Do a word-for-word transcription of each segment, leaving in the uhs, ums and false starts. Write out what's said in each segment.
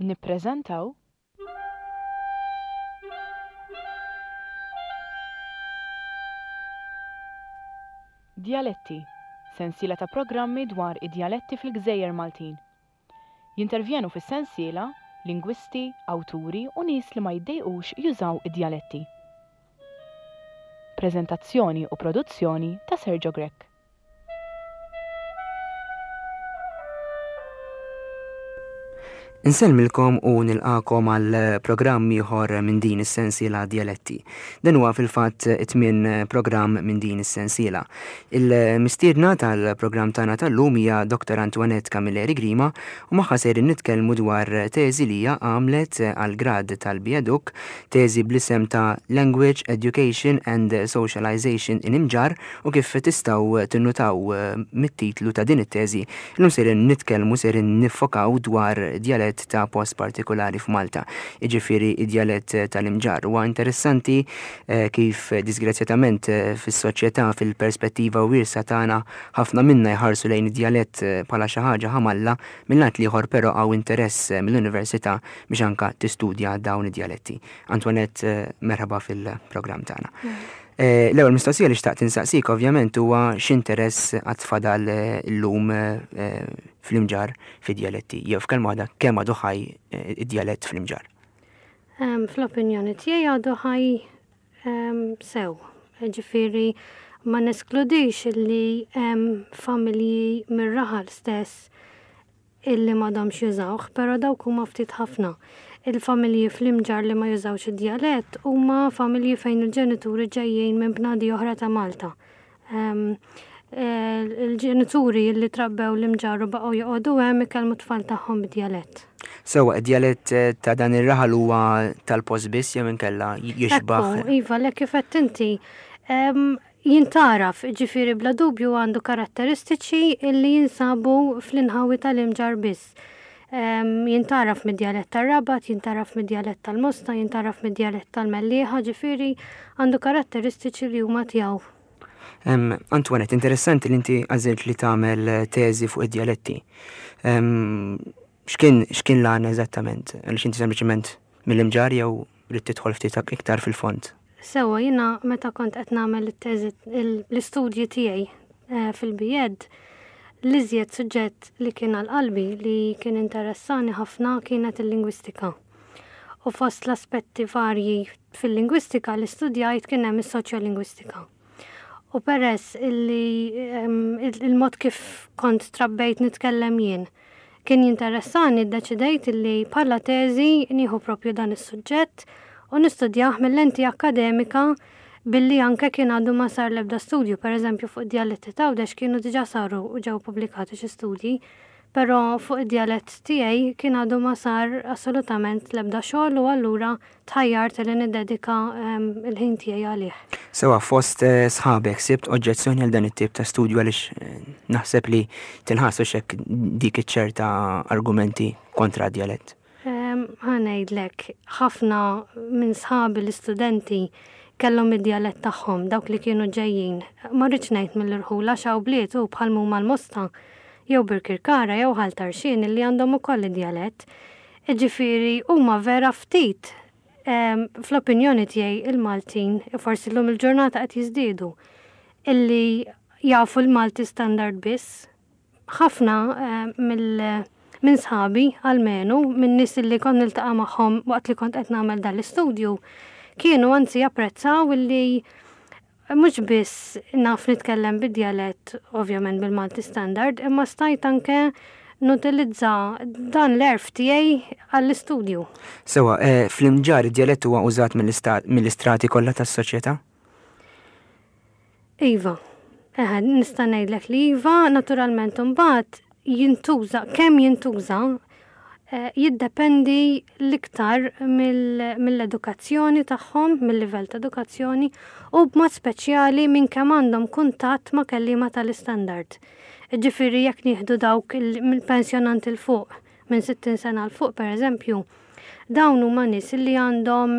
Nippreżentaw Djaletti, sensiela ta' programmi dwar id-djaletti fil-Gżejjer Maltin. Jintervjenu fis-sensiela lingwisti, awturi u nies li ma jiddejqux jużaw id-djaletti. Preżentazzjoni u produzzjoni ta' Sergio Grech. Insellmilkom u nilqakom għal programm ieħor minn din is-sensiela Djaletti. Dan huwa fil-fatt it-tmien programm minn din is-sensiela. Il-mistiedna tal-programm tagħna tal-lum hija Doktor Antoinette Camilleri Grima u magħha sejrin nitkellmu dwar teżi li hija għamlet għal grad tal-B.Educ, teżi bl-isem ta' Language, Education and Socialization in Imġarr, u kif tistgħu tinnutaw mit-titlu ta' din it-teżi, illum sejrin nitkellmu, sejrin niffokaw dwar djalett ta' post partikolari f'Malta, jiġifieri id-djalett tal-Imġarr. Huwa interessanti eh, kif disgrazzjatament eh, fis-soċjetà, fil-perspettiva wiesa tagħna, ħafna minna jħarsu lejn id-djalett eh, bħala xi ħaġa ħamalla, mill-lat l-ieħor però hawn interess mill-università biex anka tistudja dawn id-djaletti. Antoinette, merħba fil-programm tagħna. L-ewwel mistoqsija li xtaqt insaqsik ovvjament huwa x'interess għad fadal illum fl-Imġarr fid-djaletti, jew f'kelma waħda kemm għadu ħaj id-djalett fl-Imġarr? Fl-opinjoni tiegħi għadu ħaj sew. Ġifieri ma neskludix li hemm familji mir-raħal stess illi m'għadhomx jużawh, però dawk huma ftit ħafna. Il-familji fl-Imġarr li ma jużawx id-djalett huma familji fejn il-ġenituri ġejjin minn bnadi oħra ta' Malta. Il-ġenituri li trabbew l-Imġarr u baqgħu joqogħdu hemm ikellmu t-tfal tagħhom bid-djalett. Sewwa, id-djalett ta' dan ir-raħal huwa tal-post biss jew inkella jixbaħ? Ekku, iva, le kif qed inti jintaraf, ġifieri bla dubju għandu karatteristiċi li jinsabu fl-inħawi tal-Imġarr biss. Jintaraf mid-djalett tar-Rabat, jintaraf mid-djalett tal-Mosta, jintaraf mid-djalett tal-Mellieħa, ġifieri għandu karatteristiċi li huma tiegħu. Antoinette, interessanti li inti għażilt li tagħmel teżi fuq id-djaletti. X'kien x'kien l-għan eżattament? Għaliex inti sempliċement mill-Imġarr jew ridt tidħol ftit iktar fil-fond? Sewwa, jiena meta kont qed nagħmel it-teżi l-istudji tiegħi fil-B.Ed, l-iżjed suġġett li kien għal qalbi li kien interessani ħafna kienet il-lingwistika. U fost l-aspetti varji fil-lingwistika li studjajt kien hemm is-soċjolingwistika. U peress illi il-mod kif kont trabbejt nitkellem jien kien jinteressani, ddeċidejt illi bħala teżi nieħu propju dan is-suġġett u nistudjah mill-lenti akademika billi anke kien għadu ma sar l-ebda studju, per eżempju fuq id-djaletti ta' Għawdex kienu diġà saru u ġew pubblikati xi studji, però fuq id-djalett tiegħi kien għadu ma sar assolutament l-ebda xogħol u allura tħajjart li niddedika il-ħin tiegħi għalih. Sewwa, fost sħabek sibt oġġezzjoni għal dan it-tip ta' studju għaliex naħseb li tinħassu x'hekk dik iċ-ċerta argumenti kontra d-djalett? Ħa ngħidlek, ħafna minn sħabi l-istudenti kellhom id-djalett tagħhom, dawk li kienu ġejjin. Ma rridx ngħid mill-irħula x'hawn bliet u bħal huma l-Mosta jew Birkirkara jew Ħal Tarxien illi għandhom ukoll id-djalett. Ġifieri huma vera ftit fl-opinjoni tiegħi il-Maltin, forsi llum il-ġurnata qed jiżdiedu, illi jafu l-Malti standard biss. Ħafna mill minn sħabi almenu, minn nies illi kont niltaqa' magħhom waqt li kont qed nagħmel dan l-istudju, kienu anzi japprezzaw illi mhux biss naf nitkellem bid-djalett, ovvjament bil-Malti standard, imma stajt anke nutilizza dan l-erf tiegħi għall-istudju. Sewwa, fl-Imġarr id-djalett huwa użat mill-istrati kollha tas-soċjetà? Iva, eħe, nista' ngħidlek li iva, naturalment imbagħad jintuża, kemm jintuża, jiddependi l-iktar mill-edukazzjoni tagħhom, mill-livell ta' edukazzjoni u b'mod speċjali minn kemm għandhom kuntatt ma' kelliema tal-istandard. Ġifieri jekk nieħdu dawk mill-pensjonanti 'l fuq, minn sittin sena 'l fuq pereżempju, dawn huma nies li għandhom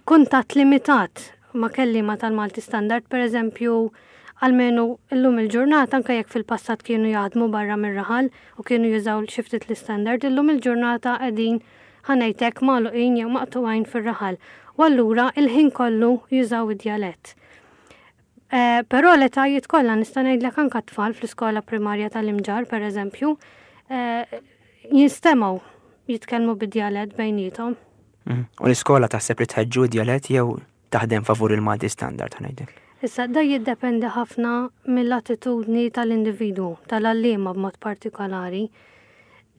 kuntatt limitat ma' kelliema tal-Malti standard, pereżempju Almenu illum il-ġurnata, anke jekk fil-passat kienu jaħdmu barra mir-raħal u kienu jużaw xi ftit l-istandard, illum il-ġurnata qegħdin, ħa ngħidlek, magħluqin jew maqtugħin fir-raħal. U allura il-ħin kollu jużaw id-djalett. Eh, però l-etajiet kollha, nista' ngħidlek anke tfal fl-iskola primarja tal-Imġarr, pereżempju, eh, jinstemgħu jitkellmu bid-djalett bejniethom. Mhm. U l-iskola taħseb li tħeġġu djalett jew taħdem favur il-Malti standard, ħa ngħidlek? Issa, da jiddependi ħafna mill-attitudni tal-individwu, tal-għalliema b'mod partikolari.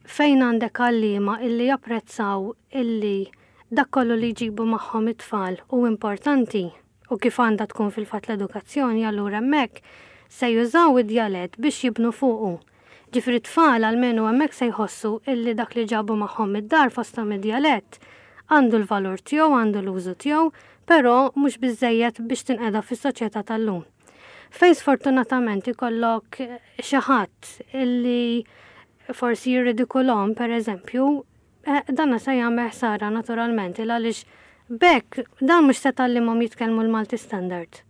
Fejn għandek għalliema illi japprezzaw illi dak kollu li jġibu magħhom it-tfal u importanti u kif għandha tkun fil-fatt l-edukazzjoni, allura hemmhekk se jużaw id-djalett biex jibnu fuqu. Ġifieri tfal almenu hemmhekk se jħossu illi dak li ġabu magħhom id-dar, fosthom id-djalett, għandu l-valur tiegħu, għandu l-użu tiegħu, però mhux biżejjed biex tinqeda fis-soċjetà tal-lum. Fejn sfortunatament ikollok xi ħadd illi forsi jirridikolahom, per eżempju, eh, danna se jagħmel ħsara naturalment, il għaliex bekk dan mhux se tgħallimhom jitkellmu l-Malti standard.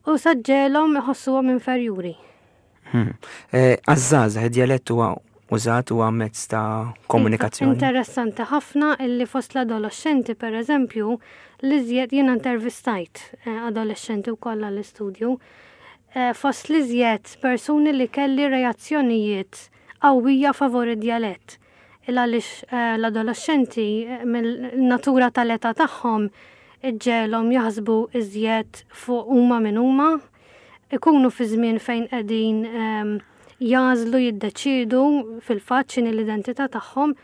U se ġġegħelhom iħossuhom inferjuri. Hmm. Eh, għaż-żgħażagħ, id-djalett huwa użat, huwa mezz ta' komunikazzjoni? Interessanti ħafna illi fost l-adolescenti, per eżempju, li żjed jiena intervistajt eh, adolescenti u kollha l-istudju, eh, fost li żjed persuni li kelli reazzjonijiet qawwija favor id-djalett. Il għaliex eh, l-adolescenti mill-natura tal-età tagħhom iġġegħelhom jaħsbu iżjed fuq huma min huma, ikunu fi żmien fejn qegħdin ehm, jagħżlu, jiddeċidu fil-fatt x'inhi l-identità tagħhom,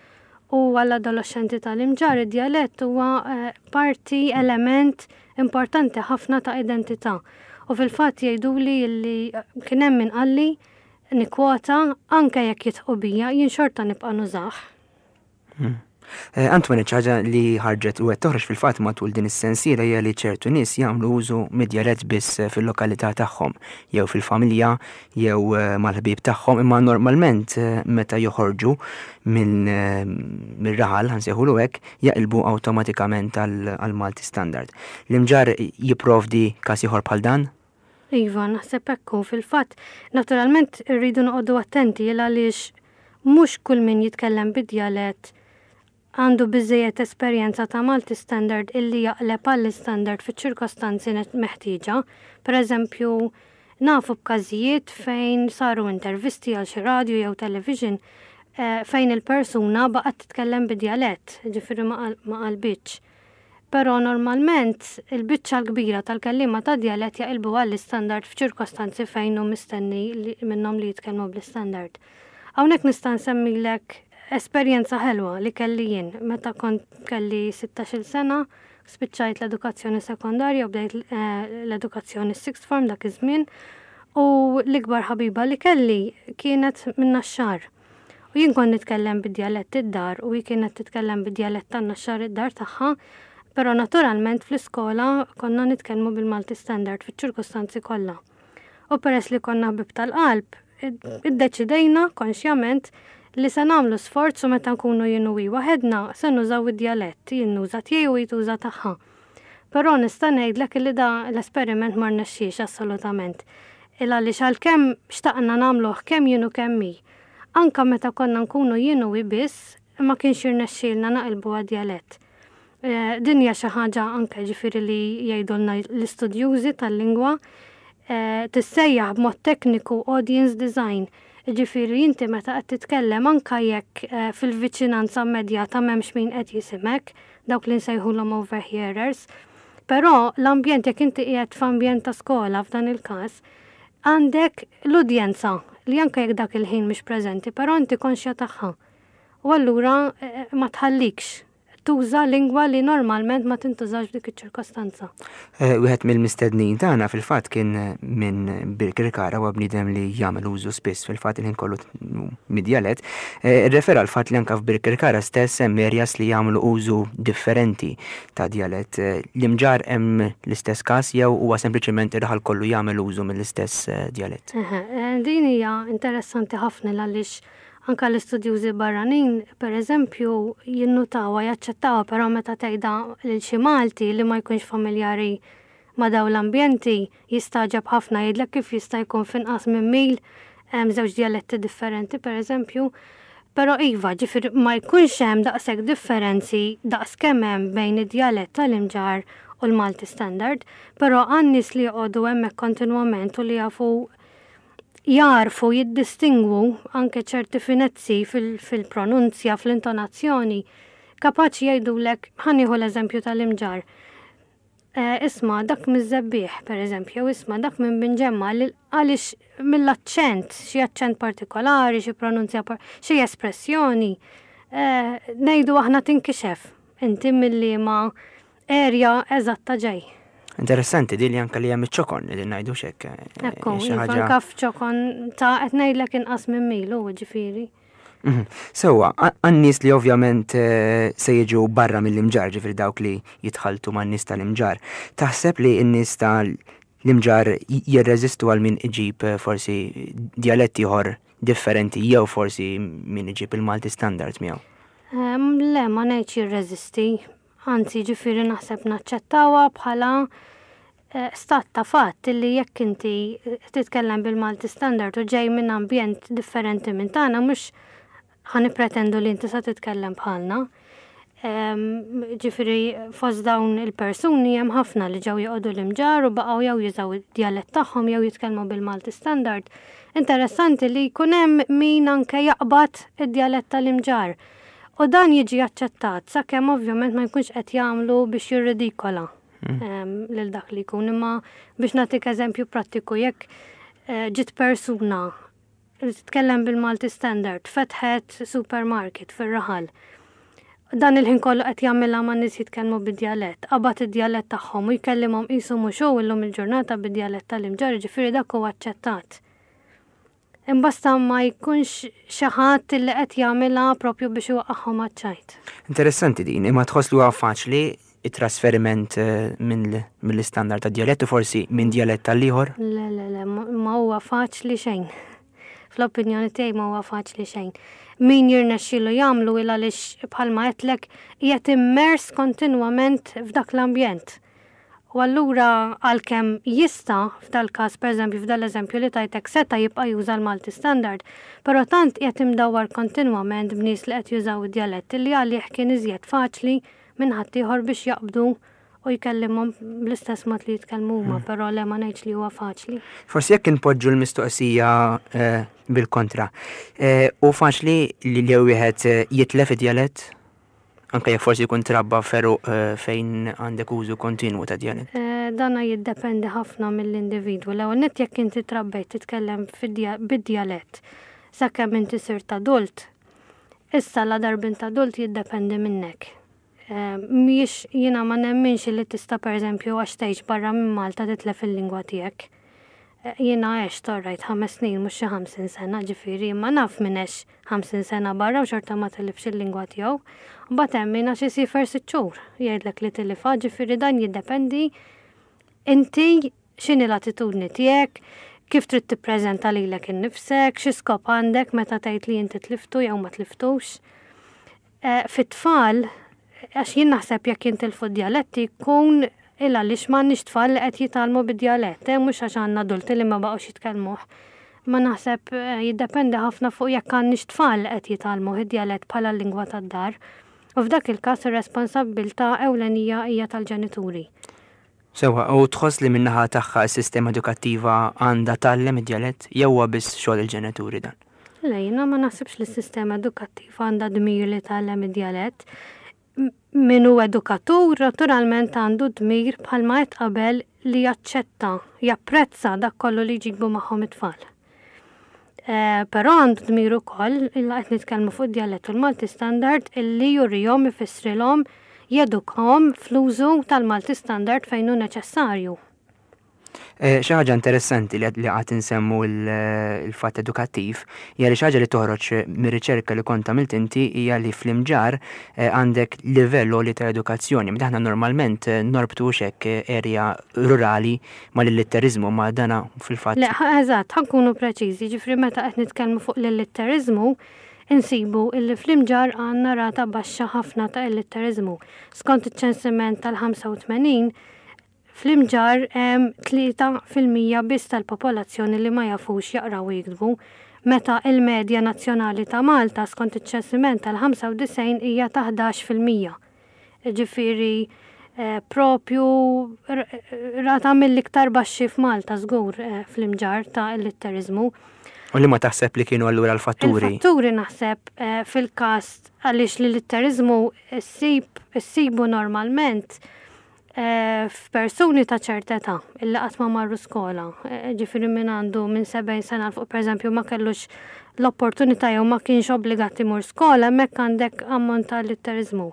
u għall-adolescenti tal-Imġarr id-djalett huwa eh, parti, element importanti ħafna ta' identità. U fil-fatt jgħiduli li kien hemm min qalli, nikkwota, "Anke jekk jidħqu bija, jien xorta nibqa' nużah." Hmm. Eh, Antoine, ħaġa li ħarġet u qed toħroġ fil-fatt matul din is-sensiela hija li ċertu nies jagħmlu użu mid-djalett biss fil-lokalità tagħhom, jew fil-familja, jew eh, mal-ħbieb tagħhom, imma normalment eh, meta joħorġu minn mir-raħal, ħa nsejħulu hekk, jaqilbu awtomatikament għal-Malti standard. L-Imġarr jipprovdi każ ieħor bħal dan? Iva, naħseb ekku fil-fatt. Naturalment irridu noqogħdu attenti għaliex mhux kull min jitkellem bid-djalett għandu biżejjed esperjenza ta' Malti standard illi jaqleb għall-standard fiċ-ċirkostanzi meħtieġa. Per eżempju, nafu b'każijiet fejn saru intervisti għal xi radio jew television eh, fejn il-persuna baqgħet titkellem bid-djalett, ġifieri ma qalbitx. Però normalment il-biċċa l-kbira tal-kellima ta' djalett jaqilbu għall-standard f'ċirkostanzi fejn hu mistenni minnhom li jitkellmu bl-standard. Hawnhekk nista' nsemmilek esperjenza ħelwa li kelli jien meta kont kelli sittax-il sena, spiċċajt l-edukazzjoni sekondarja u bdejt eh, l-edukazzjoni sixth form dak iż-żmien, u l-ikbar ħabiba li kelli kienet minn Naxxar. U jien kont nitkellem bid-djalett id-dar u hi kienet titkellem bid-djalett tan-Naxxar id-dar tagħha, però naturalment fl-iskola konna nitkellmu bil-Malti standard fiċ-ċirkustanzi kollha. U peress li konna ħbib tal-qalb, iddeċidejna konxjament li se nagħmlu sforz u meta nkunu jien u hi waħedna se nużaw id-djalett, jien nuża tiegħi u hi tuża tagħha. Però nista' ngħidlek li da l-esperiment ma rnexxiex assolutament. Il għaliex għalkemm xtaqna nagħmluh kemm jien u kemm hi, anka meta konna nkunu jien u hi biss, ma kienx jirnexxielna naqilbu għad-djalett. Eh, din hija xi ħaġa anke ġifieri li jgħidulna l-istudjużi tal-lingwa, eh, tissejjaħ b'mod tekniku audience design. Ġifieri inti meta qed titkellem, anka jekk eh, fil-viċinanza immedjata m'hemmx min qed jisimek, dawk li nsejħulhom overhearers, però l-ambjent, jekk inti qiegħed f'ambjent ta' skola f'dan il-każ, għandek l-udjenza li anke jekk dak il-ħin mhix preżenti, però inti konxja tagħha. U allura eh, ma tħallikx tuża lingwa li normalment ma tintużax f'dik iċ-ċirkostanza. Eh, wieħed mill-mistednin tagħna fil-fatt kien minn Birkirkara, u bniedem li jagħmel użu spiss, fil-fatt il-ħin kollu, mid-djalett. Eh, Refera l-fatt li anke f'Birkirkara stess hemm areas li jagħmlu użu differenti ta' djalett. Eh, L-Imġarr hemm l-istess każ jew huwa sempliċement ir-raħal kollu jagħmel użu mill-istess djalett? Din hija interessanti ħafna għaliex anka l-istudjużi barranin, per eżempju, jinnutawa, jaċċettawa, però meta tgħidha lil xi Malti li ma jkunx familjari ma' dawn l-ambjenti jistagħġeb ħafna, jgħidlek kif jista' jkun f'inqas minn mil hemm żewġ djaletti differenti, pereżempju. Però iva, ġifieri ma jkunx hemm daqshekk differenzi daqs kemm hemm bejn id-djalett tal-Imġarr u l-Malti Standard, però għan-nies li joqogħdu hemmhekk kontinwament u li jafu jarfu jiddistingwu anke ċerti finezzi fil-pronunzja, fl-intonazzjoni, kapaċi jgħidulek, ħa nieħu l-eżempju tal-Imġarr. Eh, isma' dak miż-Żebbiegħ, per eżempju, isma' dak minn Binġemma, għaliex mill-aċċent, xi aċċent partikolari, xi pronunzja, xi espressjoni, eh, ngħidu aħna tinkixef inti mill-liema area eżatta ġej. Interessanti di li anka li hemm iċ-ċokon li ngħidu xek. Eh, Ekku, anka f'ċokon ta' qed ngħidlek inqas minn milu, ġifieri. Mhm. Sewwa, għan-nies li ovvjament eh, se jiġu barra mill-Imġarr, ġifieri dawk li jitħaltu man-nies tal-Imġarr, taħseb li n-nies tal-Imġarr jirreżistu għal min iġib eh, forsi djaletti ieħor differenti jew forsi min iġib il-Malti Standard miegħu? Le, ma ngħidx jirreżisti. Anzi, ġifieri naħseb naċċettawha bħala eh, stat ta' fatt li jekk inti titkellem bil-Malti Standard u ġej minn ambjent differenti minn tagħna, mhux ħa nippretendu li inti sa titkellem bħalna. Ġifieri fost dawn il-persuni hemm ħafna li ġew joqogħdu l-Imġarr u baqgħu jew jużaw id-djalett tagħhom jew jitkellmu bil-Malti Standard. Interessanti li jkun hemm min anke jaqbad id-djalett tal-Imġarr. U dan jiġi aċċettat sakemm ovvjament ma jkunx qed jagħmlu biex jirridikola hmm. lil dak li jkun. Imma biex nagħtik eżempju prattiku, jekk eh, ġiet persuna li titkellem bil-Malti Standard, fetħet supermarket fir-raħal. Dan il-ħin kollu qed jagħmilha ma' nies jitkellmu bid-djalett, qabad id-djalett tagħhom u jkellimhom qisu mhux hu illum il-ġurnata bid-djalett tal-Imġarr, ġifieri dak huwa aċċettat. Imbasta ma jkunx xi ħadd li qed jagħmilha propju biex iwaqqagħhom għaċ-ċajt. Interessanti din, imma tħoss li huwa faċli it-trasferiment eh, mill-istandard ta' djalett u forsi minn djalett tal-ieħor? Le, le, le, ma huwa faċli xejn. Fl-opinjoni tiegħi ma huwa faċli xejn. Min jirnexxielu jagħmlu il għaliex bħalma għedtlek qiegħed immers kontinwament f'dak l-ambjent. U allura għalkemm jista' f'dal-każ, pereżempju f'dal-eżempju li tajtek, seta' jibqa' juża l-Malti Standard, però tant qiegħed imdawwar kontinwament b'nies li qed jużaw id-djalett li għalih kien iżjed faċli minn ħaddieħor biex jaqbdu u jkellimhom bl-istess mod li jitkellmu huma, hmm. però le, ma ngħidx li huwa faċli. Forsi jekk inpoġġu l-mistoqsija eh, bil-kontra, eh, u faċli li li wieħed eh, jitlef id-djalett? Anke jekk forsi jkun trabba feru fejn għandek użu kontinwu ta' djalett. Dana jiddependi ħafna mill-individwu. L-ewwel nett jekk inti trabbejt titkellem bid-djalett sakemm inti sirt adult, issa la darba int adult jiddependi minnek. Mhijiex, jiena ma nemminx li tista' pereżempju għax tgħix barra minn Malta titlef il-lingwa tiegħek. Jiena għext orrajt ħames snin, mhux xi ħamsin sena, ġifieri, imma naf min għex ħamsin sena barra u xorta ma tilifx il-lingwa tiegħu. Mbagħad hemm min għax isiefer sitt xhur jgħidlek li tilifha, ġifieri dan jiddependi inti x'inhi l-attitudni tiegħek, kif trid tippreżenta lilek innifsek, xi skop għandek meta tgħid li inti tliftu jew ma tliftux. Eh, fit-tfal, għax jien naħseb jekk jintilfu d-djaletti jkun il għaliex m'għandniex tfal li qed jitgħallmu bid-djalett, eh, mhux għax għandna adulti li ma baqgħux jitkellmuh. Ma naħseb eh, jiddependi ħafna fuq jekk għandniex tfal li qed jitgħallmu id-djalett bħala lingwa tad-dar. U f'dak il-każ ir-responsabbiltà ewlenija hija tal-ġenituri. Sewwa, u tħoss li min-naħa tagħha s-sistema edukattiva għandha tgħallem id-djalett jew huwa biss xogħol il-ġenituri dan? Le, jiena ma naħsibx li s-sistema edukattiva għandha dmir li tgħallem id-djalett. Min hu edukatur naturalment għandu dmir bħalma qed qabel li jaċċetta, japprezza dak kollu li jġibu magħhom it-tfal. Eh, però għandu dmir ukoll, illa qed nitkellmu fuq id-djalett u l-Malti Standard, illi jurihom, ifissrilhom, jedukahom fl-użu tal-Malti Standard fejn hu neċessarju. Eh, xi ħaġa interessanti li qed insemmu il-fatt edukattiv hija li xi ħaġa li toħroġ mir-riċerka li kont għamilt inti hija li fl-Imġarr eh, għandek livell għoli ta' edukazzjoni. Meta aħna normalment eh, norbtu xek area rurali mal-illitteriżmu, ma dana fil-fatt. Le, eżatt, ħa nkunu preċiżi, ġifri meta qed nitkellmu fuq l-illitteriżmu, insibu illi fl-Imġarr għandna rata baxxa ħafna ta' illitteriżmu. Skont iċ-ċensiment tal-ħamsa u tmenin, Fl-Imġarr hemm tlieta fil-mija biss tal-popolazzjoni li ma jafux jaqraw u jiktbu, meta il-medja nazzjonali ta' Malta skont iċ-ċensiment tal-ħamsa u disgħin hija ta' ħdax fil-mija. Ġifieri eh, propju rata mill-iktar baxxi f'Malta żgur eh, fl-Imġarr ta' illitteriżmu. U li ma taħseb li kienu allura l-fatturi? Il-fatturi naħseb eh, fil-każ għaliex l-illitteriżmu ssibu normalment eh, f'persuni ta' ċerta età illi qatt ma marru skola. Eh, ġifieri min għandu minn sebgħin sena 'l fuq, pereżempju, ma kellux l-opportunità jew ma kienx obbligat imur skola, hemmhekk għandek ammont ta' illitteriżmu.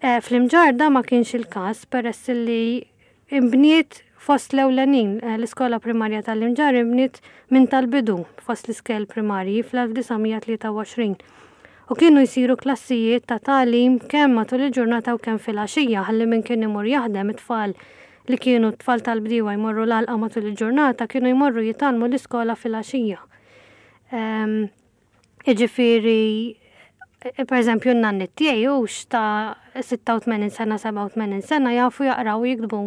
Eh, fl-Imġarr da ma kienx il-każ peress li imbniet fost l-ewlenin, l-iskola primarja tal-Imġarr imbniet minn tal-bidu fost l-iskejjel primarji fl-elf disa' mija tlieta u għoxrin. U kienu jsiru klassijiet ta' tagħlim kemm matul il-ġurnata u kemm fil-għaxija, ħalli min kien imur jaħdem, it-tfal li kienu t-tfal tal-bdiewa jmorru l-għalqa matul il-ġurnata, kienu jmorru jitgħallmu l-iskola fil-għaxija. Ehm, jiġifieri, per eżempju, n-nanni tiegħi hux ta' sitta u tmenin sena, sebgħa u tmenin sena jafu jaqraw u jiktbu.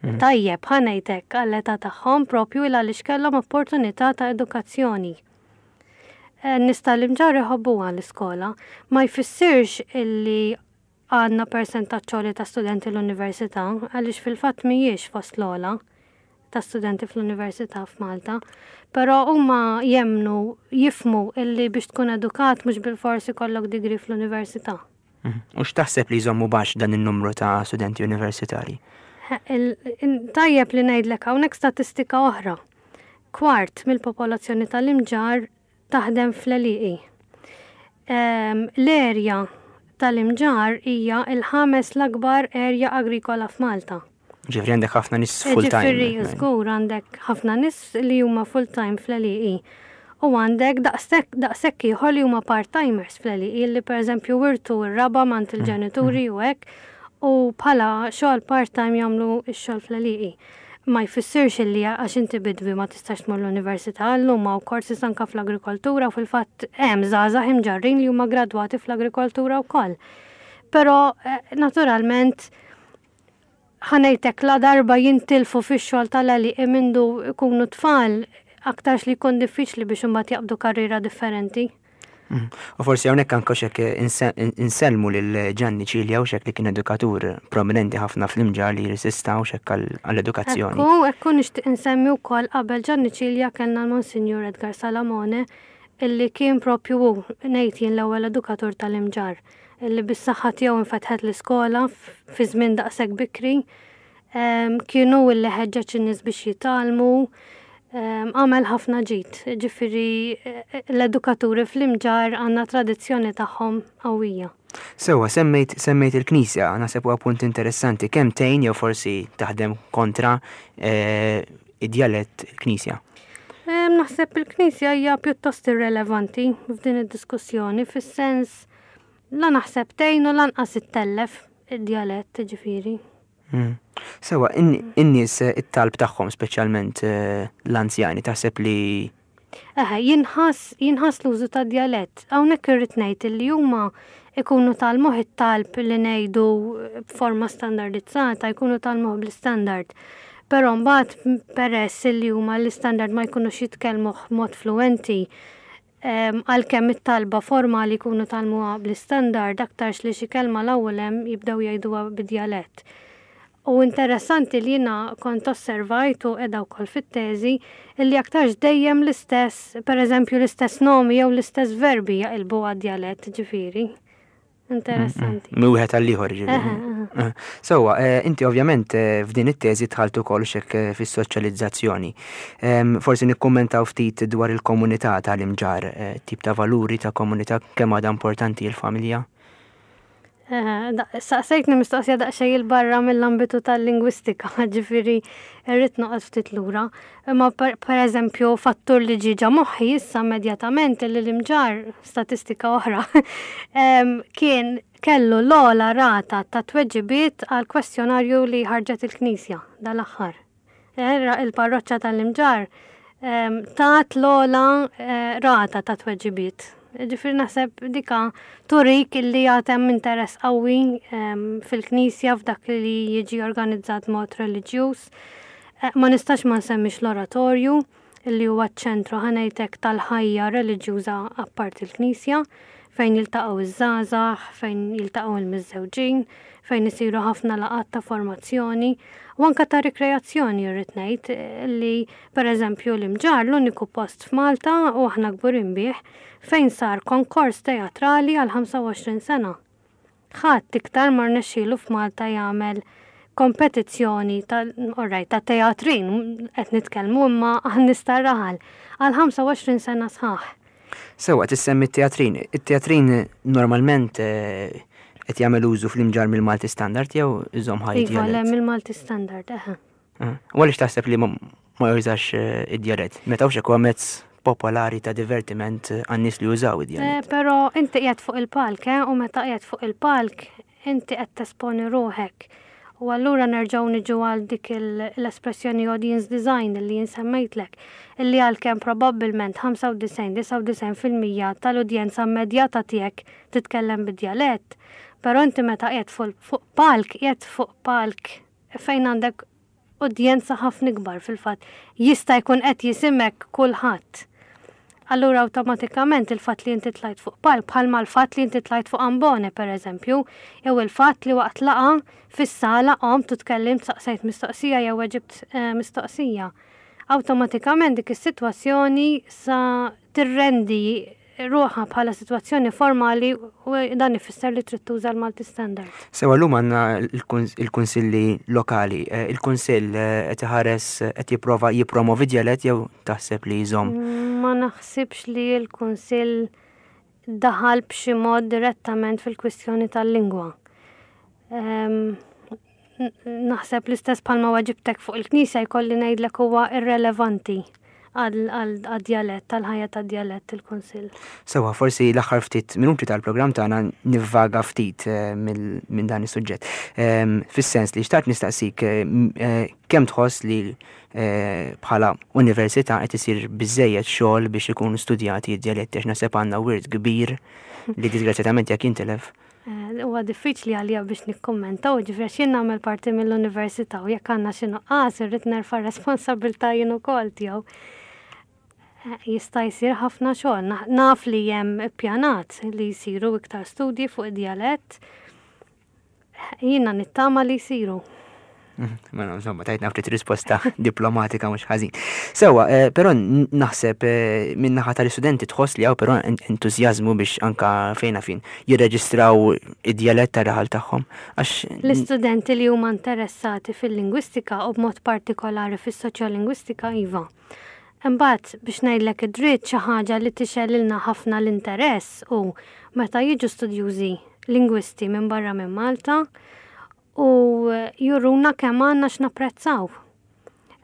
Mm. Tajjeb, ħa ngħidlek għall-età tagħhom propju il għaliex kellhom opportunità ta' edukazzjoni. Eh, nies tal-Imġarr iħobbuha l-iskola, ma jfissirx illi għandna persentaġġ għoli ta' studenti l-università, għaliex fil-fatt mhijiex fost l-ogħla ta' studenti fl-università f'Malta, però huma jemnu, jifmu illi biex tkun edukat mhux bilfors ikollok degree fl-università. Mhm. U x'taħseb li jżommu baxx dan in-numru ta' studenti universitari? Il-, in-, tajjeb li ngħidlek hawnhekk statistika oħra. Kwart mill-popolazzjoni tal-Imġarr taħdem fl-għelieqi. Ehm, l-erja tal-Imġarr hija il-ħames l-akbar erja agrikola f'Malta. Ġifieri għandek ħafna nies full-time. Ġifieri żgur għandek ħafna nies li huma full-time fl-għelieqi. U għandek daqshekk, daqshekk ieħor li huma part-timers fl-għelieqi li pereżempju wirtu r-raba' m'għand il-ġenituri u hekk, u bħala xogħol part-time jagħmlu x-xogħol fl-għelieqi. Ma jfissirx illi għax inti bidwi ma tistax tmur l-università, llum hawn korsi anke fl-agrikoltura u fil-fatt hemm żgħażagħ imġarrin li huma gradwati fl-agrikoltura wkoll. Però, eh, naturalment ħa ngħidlek la darba jintilfu fix-xogħol tal-għelieqi mindu jkunu tfal, aktarx li jkun diffiċli biex imbagħad jaqbdu karriera differenti. Mm. U forsi hawnhekk anke xek inse-, insellmu lil Gianni Cilia u xek li kien edukatur prominenti ħafna fl-Imġarr li resista u xek għall-, għall-edukazzjoni. Ekku, ekku nixtieq insemmi wkoll qabel Gianni Cilia kellna l-Monsinjur Edgar Salamone illi kien propju hu ngħid jien l-ewwel edukatur tal-Imġarr illi bis-saħħa tiegħu infetħet l-iskola f-, fi żmien daqshekk bikri. Em, kienu illi ħeġġeġ in-nies biex jitgħallmu. Em, għamel ħafna ġid, ġifieri, eh, l-edukaturi fl-Imġarr għandna tradizzjoni tagħhom qawwija. Sewwa, semmejt, semmejt il-Knisja, naħseb huwa punt interessanti, kemm tgħin jew forsi taħdem kontra, eh, id-djalett il-Knisja? Em, naħseb il-Knisja hija pjuttost irrelevanti f'din id-diskussjoni, fis-sens la naħseb tgħin u lanqas ittellef id-djalett, ġifieri. Mm. Sewwa, in-, in-nies it-talb tagħhom, speċjalment, eh, l-anzjani, taħseb li Eħe, jinħass, jinħass l-użu ta' djalett. Hawnhekk irrid ngħid li huma ikunu tgħallmuh it-talb li ngħidu b'forma standardizzata, jkunu tgħallmuh bl-istandard. Però mbagħad peress li huma l-istandard ma jkunux jitkellmuh b'mod fluenti, em, għalkemm it-talba formali jkunu tgħallmuha bl-istandard, aktarx li xi kelma l-ewwel hemm jibdew jgħiduha bid-djalett. U interessanti li jiena kont osservajt u qiegħda wkoll fit-teżi illi aktarx dejjem l-istess, pereżempju l-istess nomi jew l-istess verbi jaqilbu għad-djalett, ġifieri. Interessanti. Mm, mm. Wieħed għall-ieħor, ġifieri. Eħe, eħe. Eh, sewwa, eh, inti ovvjament, eh, f'din it-teżi dħalt ukoll xek, eh, fis-soċjalizzazzjoni. Em, forsi nikkummentaw ftit dwar il-komunità tal-Imġarr, eh, tip ta' valuri ta' komunità, kemm għadha importanti l-familja? Eh, da-, saqsejtni mistoqsija daqsxejn il barra mill-ambitu tal-lingwistika, ġifieri irrid noqgħod ftit lura. Imma per, per eżempju fattur li ġie ġa moħħi issa immedjatament li l-Imġarr, statistika oħra, em, kien kellu l-ogħla rata ta' tweġibiet għal kwestjonarju li ħarġet il-Knisja dal-aħħar. Eh, ra-, il-parroċċa tal-Imġarr, em, tat l-ogħla, eh, rata ta' tweġibiet. Ġifieri naħseb dika turik illi għad hemm interess qawwi ehm, fil-knisja f'dak li jiġi organizzat mod reliġjuż. Eh, ma nistax ma nsemmix l-oratorju illi huwa ċ-ċentru, ħa ngħidlek, tal-ħajja reliġjuża apart il-knisja, fejn jiltaqgħu iż-żgħażagħ, fejn jiltaqgħu il-miżżewġin, fejn isiru ħafna laqgħat ta' formazzjoni u anka ta' rikreazzjoni. Irrid ngħid li, pereżempju, l-Imġarr l-uniku post f'Malta, u aħna kburin bih, fejn sar konkors teatrali għal ħamsa u għoxrin sena. Ħadd iktar ma rnexxielu f'Malta jagħmel kompetizzjoni ta' alright, ta' teatrin qed nitkellmu, imma għan-nies tar-raħal għal ħamsa u għoxrin sena sħaħ. Sewa, tissemmi t-teatrin. It-teatrin normalment eh, qed jagħmel użu fl-Imġarr mill-Malti Standard jew iżomm ħaj Iva, le, mill-Malti Standard, eħe. Eh, u għaliex taħseb li ma jużax eh, id-djalett? Meta hux huwa mezz popolari ta' divertiment għan-nies li jużaw id-djalett. Però inti qiegħed fuq il-palk, u meta qiegħed fuq il-palk inti qed tesponi ruħek. U allura nerġgħu niġu għal dik l-espressjoni audience design li jien semmejtlek, illi għalkemm probabbilment ħamsa u disgħin, disgħa u disgħin fil-mija tal-udjenza immedjata tiegħek titkellem bid-djalett, però inti meta qiegħed fuq palk, qiegħed fuq palk fejn għandek udjenza ħafna ikbar fil-fatt, jista' jkun qed jisimgħek kulħadd. Allura awtomatikament il-fatt li inti tlajt fuq palk, bħalma l-fatt li inti tlajt fuq ambone per eżempju, jew il-fatt li waqt laqgħa fis-sala qomt u tkellimt, saqsejt mistoqsija jew weġibt eh, mistoqsija. Awtomatikament dik is-sitwazzjoni sa tirrendi ruħha bħala sitwazzjoni formali u dan ifisser li trid tuża l-Malti Standard. Sewa, llum għandna il-kunsilli lokali. Eh, il-kunsill eh, qed iħares, qed jipprova jippromovi djalett jew taħseb li jżomm? Ma naħsibx li l-kunsill daħal b'xi mod direttament fil-kwistjoni tal-lingwa. Naħseb l-istess bħalma weġibtek fuq il-knisja jkolli ngħidlek huwa irrelevanti għad-djalett, tal-ħajja tad-djalett il-kunsill. Sewa, forsi l-aħħar ftit minuti tal-programm tagħna nivvaga ftit eh, minn dan is-suġġett. Ehm, fis-sens li xtaqt nistaqsik eh, eh, kemm tħoss li bħala università qed isir biżejjed xogħol biex ikunu studjati d-djaletti, għax naħseb għandna wirt kbir li disgrazzjatament jekk jintilef. Huwa diffiċli għalija biex nikkommenta, u ġifieri jien nagħmel parti mill-università u jekk għandna xi nuqqas irrid nerfa' responsabilità jien ukoll tiegħu. Jista' jsir ħafna xogħol. Naf li hemm ippjanat li jsiru iktar studji fuq id-djalett. Jiena nittama li jsiru. Mhm, mela, insomma, tajtna ftit risposta diplomatika mhux ħażin. Sewa, eh, però naħseb eh, minn naħa tal-istudenti tħoss li hawn però entużjażmu biex anka fejna fin jirreġistraw id-djalett tar-raħal tagħhom. Għax l-istudenti li huma interessati fil-lingwistika u b'mod partikolari fis-soċjolingwistika, iva. Imbagħad, biex ngħidlek id-dritt, xi ħaġa li tixgħelilna ħafna l-interess u meta jiġu studjużi lingwisti minn barra minn Malta u juruna kemm għandna x'napprezzaw.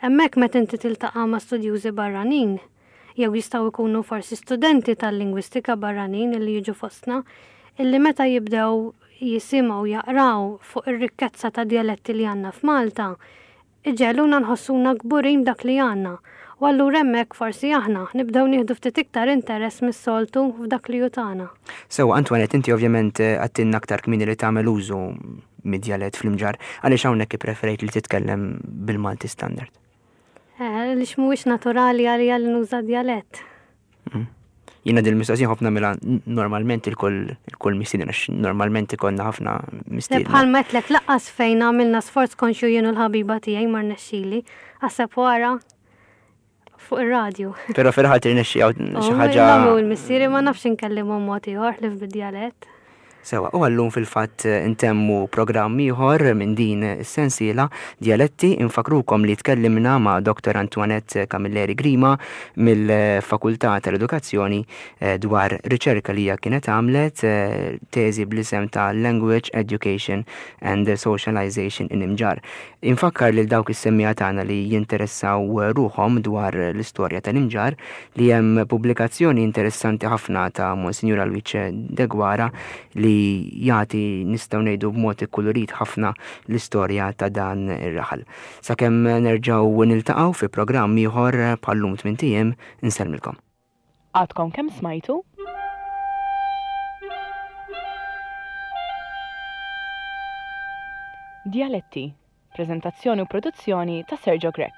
Hemmhekk meta inti tiltaqa' ma' studjużi barranin, jew jistgħu jkunu forsi studenti tal-lingwistika barranin illi jiġu fostna, illi meta jibdew jisimgħu, jaqraw fuq ir-rikkezza ta' djaletti li għandna f'Malta, iġegħluna nħossuna kburin dak li għandna. U allura hemmhekk forsi aħna nibdew nieħdu ftit iktar interess mis-soltu f'dak li hu tagħna. Sewa, Antoinette, inti ovvjament eh, għedtilna aktar kmieni li tagħmel użu mid-djalett fl-Imġarr, għaliex hawnhekk ippreferejt li titkellem bil-Malti Standard? Eh, għaliex mhuwiex naturali għalija li nuża djalett. Mm. Jiena din il-mistoqsija ħafna mela normalment il-kull il-kull mistieden, għax normalment ikollna ħafna mistieden. Bħal għedtlek, lanqas fejn għamilna sforz konxju jien u l-ħabiba tiegħi ma rnexxili. Aħseb wara fuq ir-radju. Però fil-ħadd tirnexxi xi ħaġa. U l-missieri ma nafx inkellimhom mod ieħor ħlief bid-djalett. Sewa, u għallum fil-fatt intemmu programm ieħor minn din is-sensiela Djaletti. Infakrukom li tkellimna ma' Doktor Antoinette Camilleri Grima mill-Fakultà tal-Edukazzjoni eh, dwar riċerka li hija kienet għamlet, eh, teżi bl-isem ta' Language Education and Socialization in Imġarr. Infakkar lil dawk is-semmiegħa tagħna li jinteressaw ruħhom dwar l-istorja tal-Imġarr li hemm pubblikazzjoni interessanti ħafna ta' Monsignor Luigi Deguara li jagħti, nistgħu ngħidu, b'mod ikkulurit ħafna l-istorja ta' dan ir-raħal. Sakemm nerġgħu niltaqgħu fi programm ieħor bħallum tmint ijiem, insellmilkom. Għadkom kemm smajtu? Djaletti, preżentazzjoni u produzzjoni ta' Sergio Grech.